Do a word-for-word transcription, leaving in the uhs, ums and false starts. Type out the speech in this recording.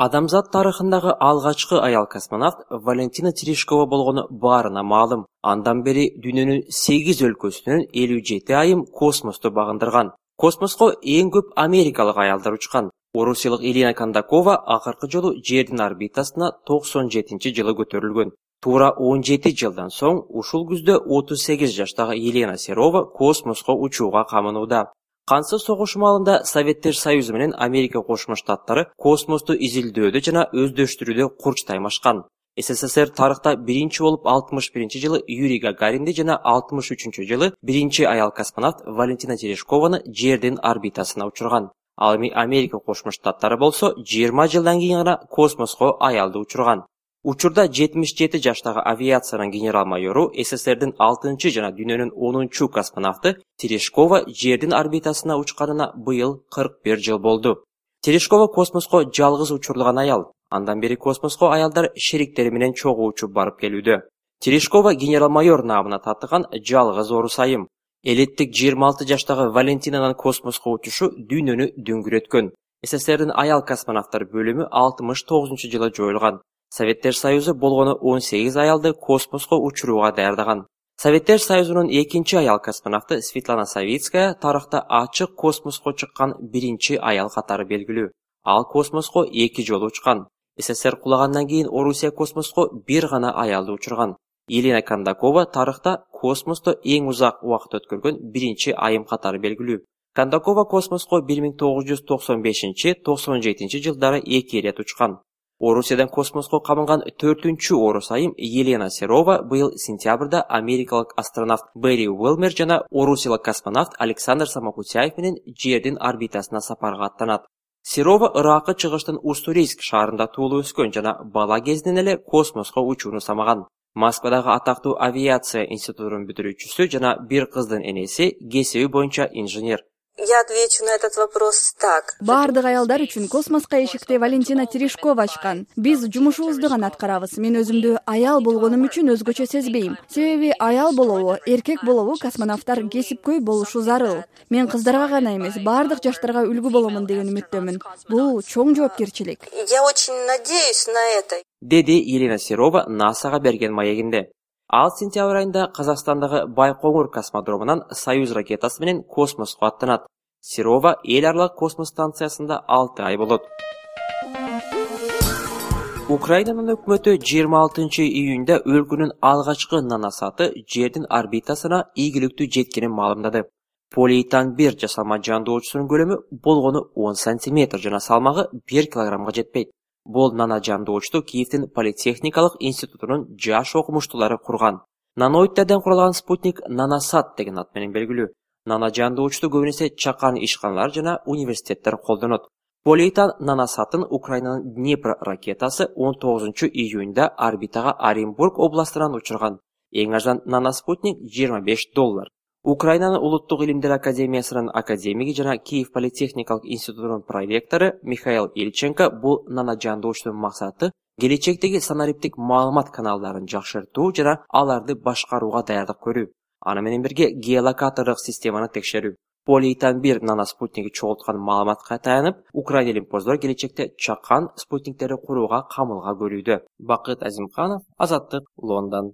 Адамзат тарыхындагы алгачкы аял космонавт Валентина Терешкова болгону баарына маалым. Андан бери дүйнөнүн сегиз өлкөсүнөн элүү жети айым космосту багындырган. Космоско эң көп америкалык аялдар учкан. Орусиялык Елена Кондакова акыркы жолу Жердин орбитасына токсон жетинчи жылы көтөрүлгөн. Туура он жети жылдан соң ушул күздө отуз сегиз жаштагы Елена Серова космоско учууга камынууда. Кансыз согуш маалында Советтер Союзу менен Америка Кошмо Штаттары космосту изилдөөдө жана өздөштүрүүдө курч таймашкан. СССР тарыхта биринчи болуп алтымыш биринчи жылы Юрий Гагаринди жана алтымыш үчүнчү жылы биринчи аял космонавт Валентина Терешкованы Жердин орбитасына учурган. Ал эми Америка Кошмо Штаттары болсо жыйырма жылдан кийин гана космоско аялды учурган. Учурда жетимиш жети жаштагы авиациянын генерал-майору СССРдин алтынчы жана дүйнөнүн онунчу космонавты Терешкова Жердин орбитасына учканына быйыл кырк бир жыл болду. Терешкова космоско жалгыз учурулган аял. Андан бери космоско аялдар шериктери менен чогуу учуп барып келүүдө. Терешкова генерал-майор наамына татыган жалгыз орус айым. Элеттик жыйырма алты жаштагы Валентинанын космоско учушу дүйнөнү дөңгүрөткөн. СССРдин аял космонавттар бөлүмү алтымыш тогузунчу жылы жоюлган. Советтер Союзу болгону он сегиз аялды космоско учурууга даярдаган. Советтер Союзунун экинчи аял космонавты Светлана Савицкая тарыхта ачык космоско чыккан биринчи аял катары белгилүү. Ал космоско эки жолу учкан. СССР кулагандан кийин Орусия космоско бир гана аялды учурган. Елена Кондакова тарыхта космосто эң узак убакыт өткөргөн биринчи айым катары белгилүү. Кондакова космоско бир миң тогуз жүз токсон бешинчи — токсон жетинчи жылдары эки ирет учкан. Орусиядан космоско камынган төртүнчү орус айым Елена Серова быйыл сентябрда америкалык астронавт Берри Уилмер жана орусиялык космонавт Александр Самокутяев менен Жердин орбитасына сапарга аттанат. Серова Иракы чыгыштын Уссурийск шаарында туулуп өскөн жана бала кезинен эле космоско учууну самаган. Москвадагы атактуу авиация институтунун бүтүрүүчүсү жана бир кыздын энеси, кесиби боюнча инженер. Я отвечу на этот вопрос так. Бардык аялдар үчүн космоско эшикти Валентина Терешкова ачкан. Биз жумушубузду гана аткарабыз. Мен өзүмдү аял болгонум үчүн өзгөчө сезбейм. Себеби аял болобу, эркек болобу космонавттар кесипкөй болушу зарыл. Мен кыздарга гана эмес, бардык жаштарга үлгү боломун деген үмүттөмүн. Бул чоң жоопкерчилик. Я очень надеюсь на это. Деди Елена Серова НАСАга берген маегинде. Ал сентябрь айында Казакстандагы Байкоңур космодромунан Союз ракетасы менен космоско аттанат. Серова эл аралык космос станциясында алты ай болот. Украинанын өкмөтү жыйырма алтынчы июнда өлкөнүн алгачкы наносаты Жердин орбитасына ийгиликтүү жеткенин маалымдады. Полиэтан бир жасалма жандоочусунун көлөмү болгону он сантиметр жана салмагы бир килограммга жетпейт. Бул нано жандоочту Киевдин Политехникалык институтунун жаш окумуштуулары курган. Наноидтерден куралган спутник Наносат деген ат менен белгилүү. Нано жандоочту көбүнесе чакан ишканалар жана университеттер колдонот. Полиэтан наносатын Украинанын Днепр ракетасы он тогузунчу июнда орбитага Оренбург областынан учурган. Эң арзан наноспутник жыйырма беш доллар. Украинанын Улуттук илимдер академиясынын академиги жана Киев Политехникалык институтунун проректору Михаил Ильченко бул нано жандоочтун максаты келечектеги санариптик маалымат каналдарын жакшыртуу жана аларды башкарууга даярдык көрүү. Аны менен бирге геолокатордук системаны текшерүү. Полиэтан бир наноспутниги чогулткан маалыматка таянып, Украина илимпоздор келечекте чакан спутниктерди курууга камылга көрүүдө. Бакыт Азимканов, Азаттык, Лондон.